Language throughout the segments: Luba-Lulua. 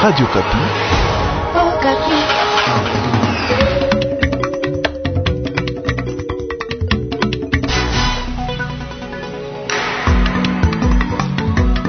Radio Okapi. Okapi.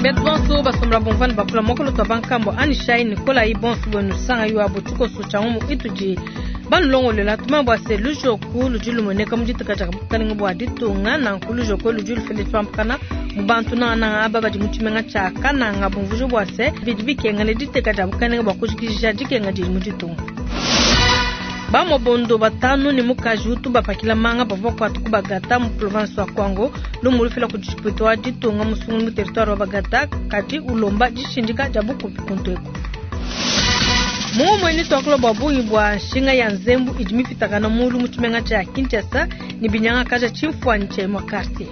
Betu bonso basombela bumvua ne bakula mokolo twa bankambo anishai nikolayi bonso bwenu sanga yuabo tshikoso tshia ngumu itudi banulongolela tumanye bua se lujoku ludi lumueneka mu diteka dia bukalenga bua ditunga nanku lujoku ludi lufila tshipampakana mu bantu nangananga aba badi mu tshimenga tshia kananga bumvuija bua se bidi bikenga ne diteka dia bukalenga bua kujikija dikenga didi mu ditunga. Bamobondo batanu ne mukaji utu bapakila manga bavua bakuata ku Bagata mu province wa Kwango. Lumu lufila kudi tshipuita wa ditunga musungula mu territoire wa Bagata kadi ulomba dishindika dia bukubi kuntu eku. Mumue tuakula bua bungi bua nshinga ya nzembu idi mipitakana mulu mu tshimenga tshia Kinshasa ne binyangakaja tshimfuanyi tshia imue quartier.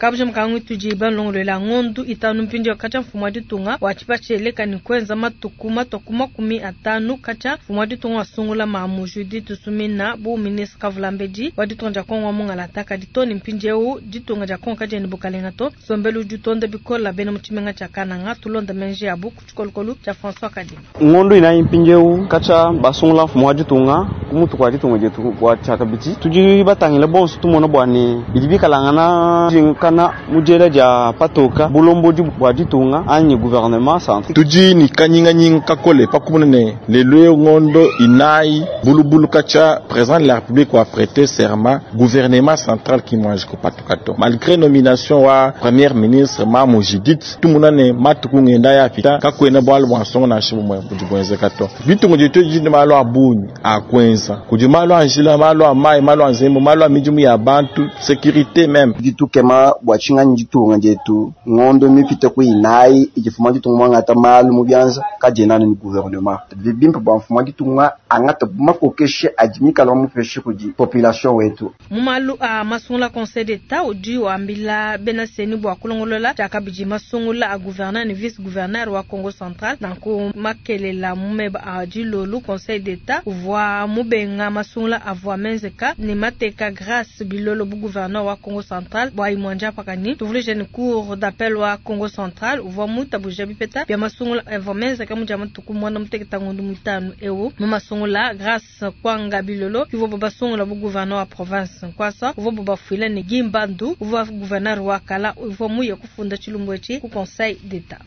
Kabuja mukangu tudi balongolola ngondu itanu mpindieu katshia mfumu wa ditunga wa tshipatshieleka ne kuenza matuku matua ku 50 katshia mfumu wa ditunga wasungula mamu Judith Suminwa bu ministre kavulambedi wa ditunga dia Kongo wa mungalata kadi to ne mpindieu ditunga dia Kongo kadiena bukalenga to nsombelu udi utonda bikola bena mu tshimenga tshia Kananga tulonda menji abu ku tshikolokolo tshia François Kadima. Ngondu inayi mpindieu katshia basungula mfumu wa ditunga ku mutu kua ditunga dietu bua tshiakabidi tudi batangile bonso tumona bua ne bidi bikalangana jinkana mu diela dia patoka bulombodi bua ditunga anyi gouvernement central. Tudi ne kanyinganyinga kakole pa kumona ne lelu eu ngondo inayi bulubulu katshia président de la république wa prêter serment gouvernement central ki muanji kupatuka to malgré nomination wa premier ministre Mamu Judith tumona ne matuku ngenda yapita kakuena bualu bua nsongo nansha bumue budi buenzeka to. Ditunga dietu didi ne malu a bungi a kuenza, kudi malu a njila, malu a mayi, malu a nzembu, malu a midimu ya bantu, sécurité même. Tudi tukema bua tshinganyi ditunga dietu ngondo mipite ku inayi idi mfumu wa ditunga muangata malu mu bianza kadiena anu ne gouvernement. Bidi bimpe bua mfumu wa ditunga angata makokeshi adi mikala mupeshe kudi population wetu. Mu malu a masungula Conseil d'Etat udi wambila bena CENI bua kulongolola tshiakabidi masungula a gouverneur ne vice gouverneur wa Kongo Central. Nanku makelela mu meba a dilolu Conseil d'Etat uvua mubenga masungula avua menzeka ne mateka Grace Bilolo bu gouverneur wa Kongo Central bua imue ndiapakani. Tuvuluije ne cour d'appel wa Kongo Central uvua muitabuja bipeta bia masungula avua menzeka mu dia matuku muanda mutekete ngondo muitanu eu. Mu masungula Grace Kwanga Bilolo uvua basungula bu gouverneur wa province Nkwasa uvua bafuila ne Guy Bandu uvua gouverneur wa kala uvua muye kufunda tshilumbu etshi ku Conseil d'Etat.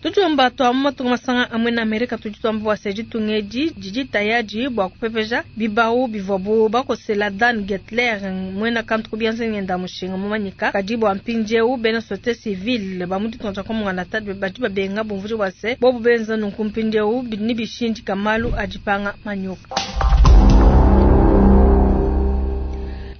Tudiomba tua mu matunga masanga amwe na Amerika tudi tuamba bua se ditunga edi didi tayadi bua kupepeja bibawu bivuabu bakosela Dan Gertler muena kantu ku bianza ngenda mushinga mumanyika kadi bua mpindieu bena société civile ba mu ditunga dia Kongo Mungalata badi babenga bumvuija bua se bobu benza nunku mpindieu ne bishindika malu a dipanga manyoka.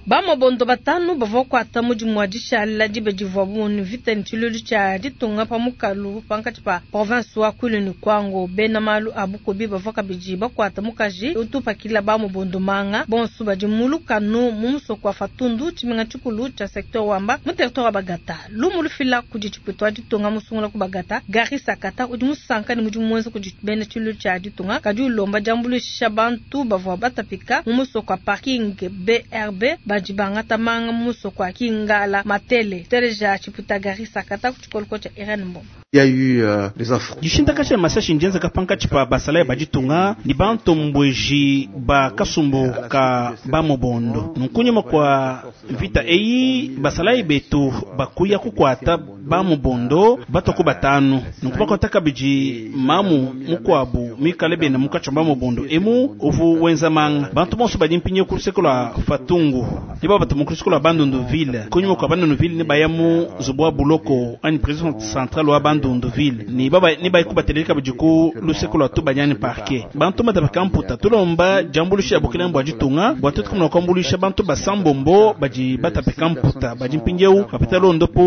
Bamobondo batanu bavua bakuata mudimu wa dishala diba divuabu mu mvita ne tshiluilu tshia ditunga pa mukalu pankatshi pa province wa Kwilu ne Kwango. Bena malu a bukubi bavua kabidi bakuata mukaji utupakila bamobondo manga bonso badi mu lukanu mu musoko wa Fatundu tshimenga tshikulu tshia secteur Wamba mu territoire wa Bagata. Lumu lufila kudi tshipuita wa ditunga musungula ku Bagata Gary Sakata udi musanka ne mudimu muenza kudi bena tshiluilu tshia ditunga kadi ulomba diambuluisha bantu bavua batapika mu musoko wa parking BRB badi bangata manga mu musoko wa Kingala Matele. Teleja tshipuita Gary Sakata ku tshikoloko tshia Irene Mbombo. Il y a eu des affrontements. Dishintaka tshia masashi ndienzeka pankatshi pa basalayi ba ditunga ne bantombueji ba kasumbu ka bamobondo. Nkunyima kua mvita eyi basalayi betu bakuya kukuata bamobondo batwa batanu. Nunku bakuata kabidi mamu mukuabu mikale bena munkatshi mua bamobondo emu uvu wenza manga. Bantu bonso badi mpindieu ku luseke lua Fatungu ne babatuma ku luseke lua Bandunduville. Kunyima kua Bandunduville ne baya mu nzubu wa buloko anyi prison centrale wa Bandunduville ne baba ne bayi kubatelela kabidi ku luseke lua Tubanyani parquet. Bantu batapika mputa tulomba diambuluisha ya bukelenge bua ditunga bua tuetu kumona kuambuluisha bantu basambombo badi batapika mputa badi mpindieu bapeta londopo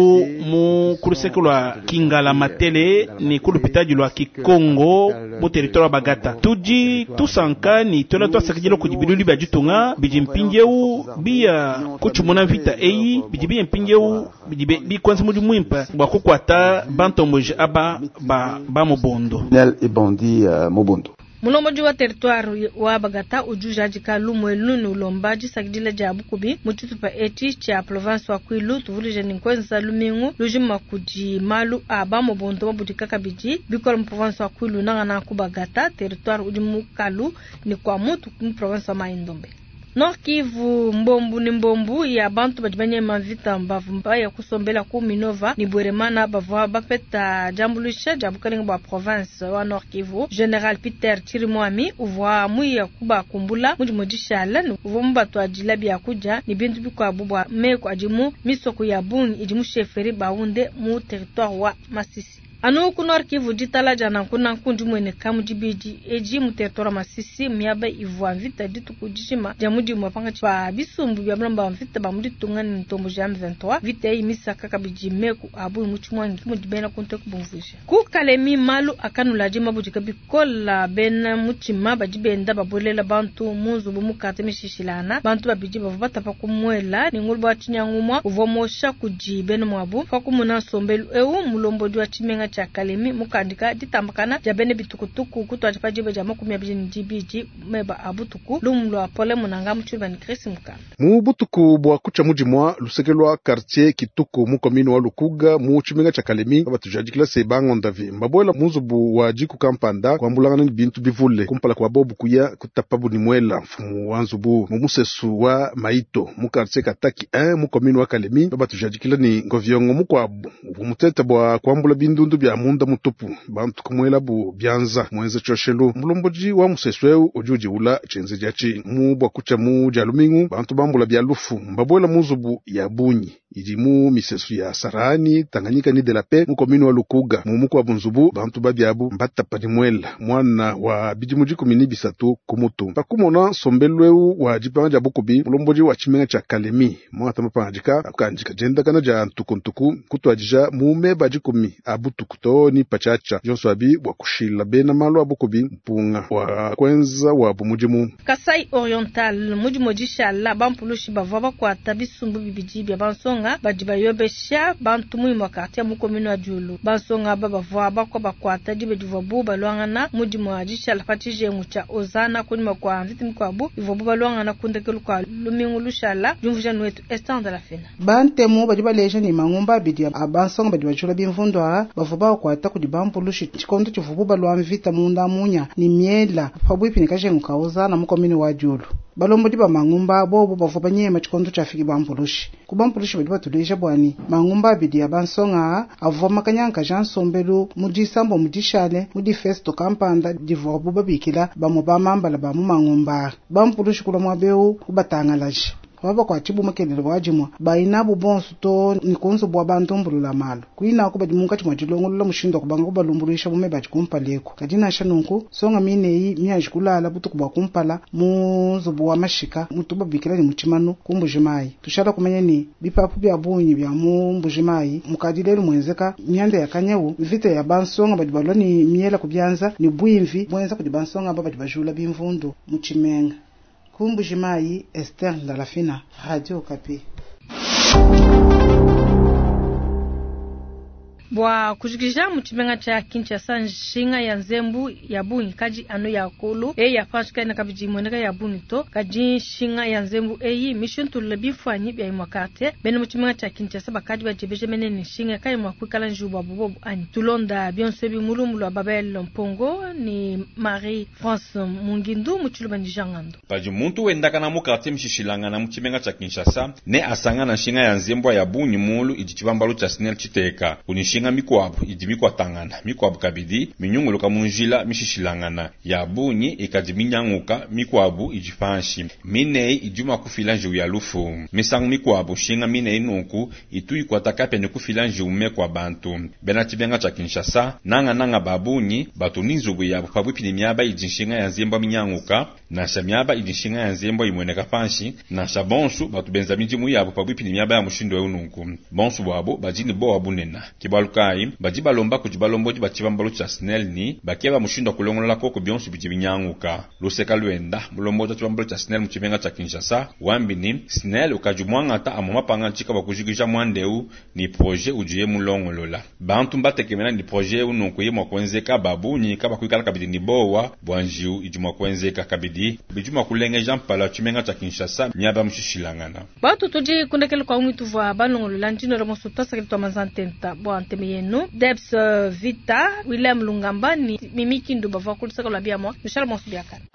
mu ku luseke lua Kingala Matele ne ku lupitadi lua Kikongo mu territoire wa Bagata. Tudi tusanka ne tuela tuasakidila kudi bilulu bia ditunga bidi mpindieu biya kutshimuna mvita eyi bidi biya mpindieu bidi bikwenza mudimu muimpe bua kukuata bantomboji aba ba, ba Mobondo. Nel et bandit Mobondo. Mulombodi wa territoire wa Bagata udi ujadika lumu elu ne ulomba disakidila dia bukubi mu tshitupa etshi tshia province wa Kwilu. Tuvuluije ne nkuenza lumingu lujima kudi malu a bamobondo mabudika kabidi bikole mu province wa Kwilu, nangananga ku Bagata territoire udi mukalu ne kwa mutu mu province wa Mai-Ndombe. Nord Kivu, mbombu ne mbombu ya bantu badi banyema mvita bavua baya kusombela ku Minova ne Bweremana bavua bapeta diambuluisha dia bukalenge bua province wa Nord Kivu. General Peter Chirimwami uvua muya kubakumbula mu dimue dishala ne uvua mubatuadila biakudia ne bintu bikuabu bua meku adi mu misoko ya bungi idi mu chefferie Bahunde mu territoire wa Masisi. Anu ku Nord Kivu, ditala dia nanku nanku ndimueneka mu dibidi edi mu territoire wa Masisi, miaba ivua mvita dituku dijima dia mudimu pankatshi pa bisumbu bia balomba ba mvita ba mu ditunga ne ntomboji ya M23. Mvita eyi misaka kabidi meku a bungi mu tshimuangi mudi bena kuntu eku bumvuija. Ku Kalemi, malu akanuladi mabudika bikola, bena mutshima badi benda babuelela bantu mu nzubu mu quartier mishishilangana. Bantu babidi bavua batapa ku muela ne nguluba wa tshinyangumua uvua mosha kudi bena muabu. Pa kumona nsombelu eu, mulombodi wa tshimenga tshia Kalemi mukandika ditambakana dia bena bitukutuku kutuadija pa diba dia 22 meba a butuku. Lumu lua Pole Munanga mu tshiluba ne Chris Mukanda. Mu butuku bua kutshia mu dimua luseke lua quartier Kituku mu commune wa Lukuga mu tshimenga tshia Kalemi batujadikila se bangondavi mbabuela mu nzubu wa diku kampanda kuambulangana ne bintu bivule kumpala kua bobu kuya kutapabu ne muela mfumu wa nzubu mu musesu wa Maito mu quartier Kataki 1 mu commune wa Kalemi batujadikila ne ngoviongo mukuabu uvua mutete bua kuambula bindundu bia munda mutupu bantu kumuelabu bianza muenze tshioshelu. Mulombodi wa musesu eu udi udiula tshienzedi atshi mu bua kutshia mu dia lumingu bantu bambula bia lufu mbabuela mu nzubu ya bungi idi mu misesu ya Sarani, Tanganyika ni de la Paix mu commune wa Lukuga. Mu mukuabu nzubu bantu babiabu mbatapa ne muela mwana wa bidimu 13 ku mutu. Pakumona nsombelu eu wa dipanga dia bukubi, mulombodi wa tshimenga tshia Kalemi muangata mapangadika akandika diendakana dia ntukuntuku kutuadija mu meba 10 a butuku to ni patshiatshia bionso abi bua kushila bena malu a bukubi mpunga wa kuenza wabu mudimu. Kasai Oriental mudimu dishala bampulushi bavua bakuata bisumbu bibidi bia bansonga badi bayobesha bantu mu imue quartier mu commune wa Diulu. Bansonga aba bavua bakwa bakuata diba divuabu baluangana mudimu wa dishala pa tshijengu tshia Ozana kunyima kua mvita mikuabu ivuabu baluangana ku ndekelu kua lumingu lushala. Diumvuija nuetu Esther de la Fena. Bantemu badi baleja ne mangumba abidi a bansonga badi bajula bimvundu aa bavua bakuata kudi bampulushi tshikondo tshivuabu balua mvita munda munya ne miela pabuipi ne kajengu ka Ozana mu commune wa Diulu. Balombodi ba mangumba bobu bavua banyema tshikondo tshiafiki bampulushi. Ku bampulushi badi batuleja bwani mangumba abidi ya bansonga avua makanyanka ja nsombelu mu disambo mu dishale mu difesto kampanda divuabu babikila bamue ba mambala ba mu mangumba. Bampulushi kula muabeu kubatangalaje. Babakuatshi bumakelele bua dimue bayinabu bonso to ne ku nzubu wa bantumbulula malu kuinaku badi munkatshi mua dilongolola mushindu wa kubanga kubalumbuluisha bume badi kumpala eku. Kadi nansha nunku songa mineyi mianji kulala butuku bua kumpala mu nzubu wa mashika mutu babikila ne mu tshimanu ku Mbujimayi. Tushala kumanya ne bipapu bia bungi bia mu Mbujimayi mukadi lelu muenzeka mianda ya kanyawu mvita ya bansonga badi balua ne miela ku bianza ne buimvi buenza kudi bansonga aba badi bajula bimvundu mu tshimenga. Ku Mbujimayi, Esther Ndalafina, Radio Okapi. Bua kujikija mu tshimenga tshia Kinshasa, nshinga ya nzembu ya bungi kadi anu ya kulu eyi ya panshi kaina kabidi imueneka ya bungi to. Kadi nshinga ya nzembu eyi mishintulula bimfuanyi bia imue quartier. Bena mu tshimenga tshia Kinshasa bakadi badiebeja mene ne nshinga kayi mua kuikala njiwu buabu bobu anyi. Tulonda bionso ebi mu lumu lua Babel Mpongo ne Marie France Mungindu mu tshiluba ne Jean Ngando. Padi muntu wendakana mu quartier mishishilangana mu tshimenga tshia Kinshasa ne asangana nshinga ya nzembu ya bungi mulu idi tshibambalu tshia SNEL tshiteka. Kudi nshinga mikuabu idi mikuatangana, mikuabu kabidi minyunguluka mu njila mishishilangana ya bungi ikadi minyanguka, mikuabu idi panshi mineyi idi mua kufila njiwu ya lufu. Misangu mikuabu nshinga mineyi nunku itu ikuata kapia ne kufila njiwu mekua bantu. Bena tshimenga tshia Kinshasa nanga nanga ba bungi batu ni nzubu yabu pabuipi ne miaba idi nshinga ya nzembu minyanguka. Nansha miaba idi nshinga ya nzembua imueneka panshi, nansha bonsu batu benza midimu yabu pabuipi ne miaba ya mushindu eu nunku. Bonsu buabu badi ne bowa bunena. Ke bualu kayi badi balomba kudi balombodi ba tshibambalu tshia SNEL ni bakeba mushindu wa kulongolola koko bionso bidi binyanguka. Luseka luenda mulombodi wa tshibambalu tshia SNEL mu tshimenga tshia Kinshasa wambi ni SNEL ukadi muangata amue mapangadika bua kujikija muanda eu ni projet udiye mulongolola. Bantu mbatekemena ni projet eu nunku ye mua kuenzeka babunyi kabakuikala kabidi ni bowa bua njiwu idi mua kuenzeka kabidi bidi mua kulengeja mpala wa tshimenga tshia Kinshasa miaba mishishilangana. Batu tudi kundekele kwa mwitu vwa balongolola ndino la moso twasakili twa mazantenta bua nteme yenu Debs Vita William Lungamba ni Mimi Kindu bavua kulusaka lwa biamwa Michel Monso biakana.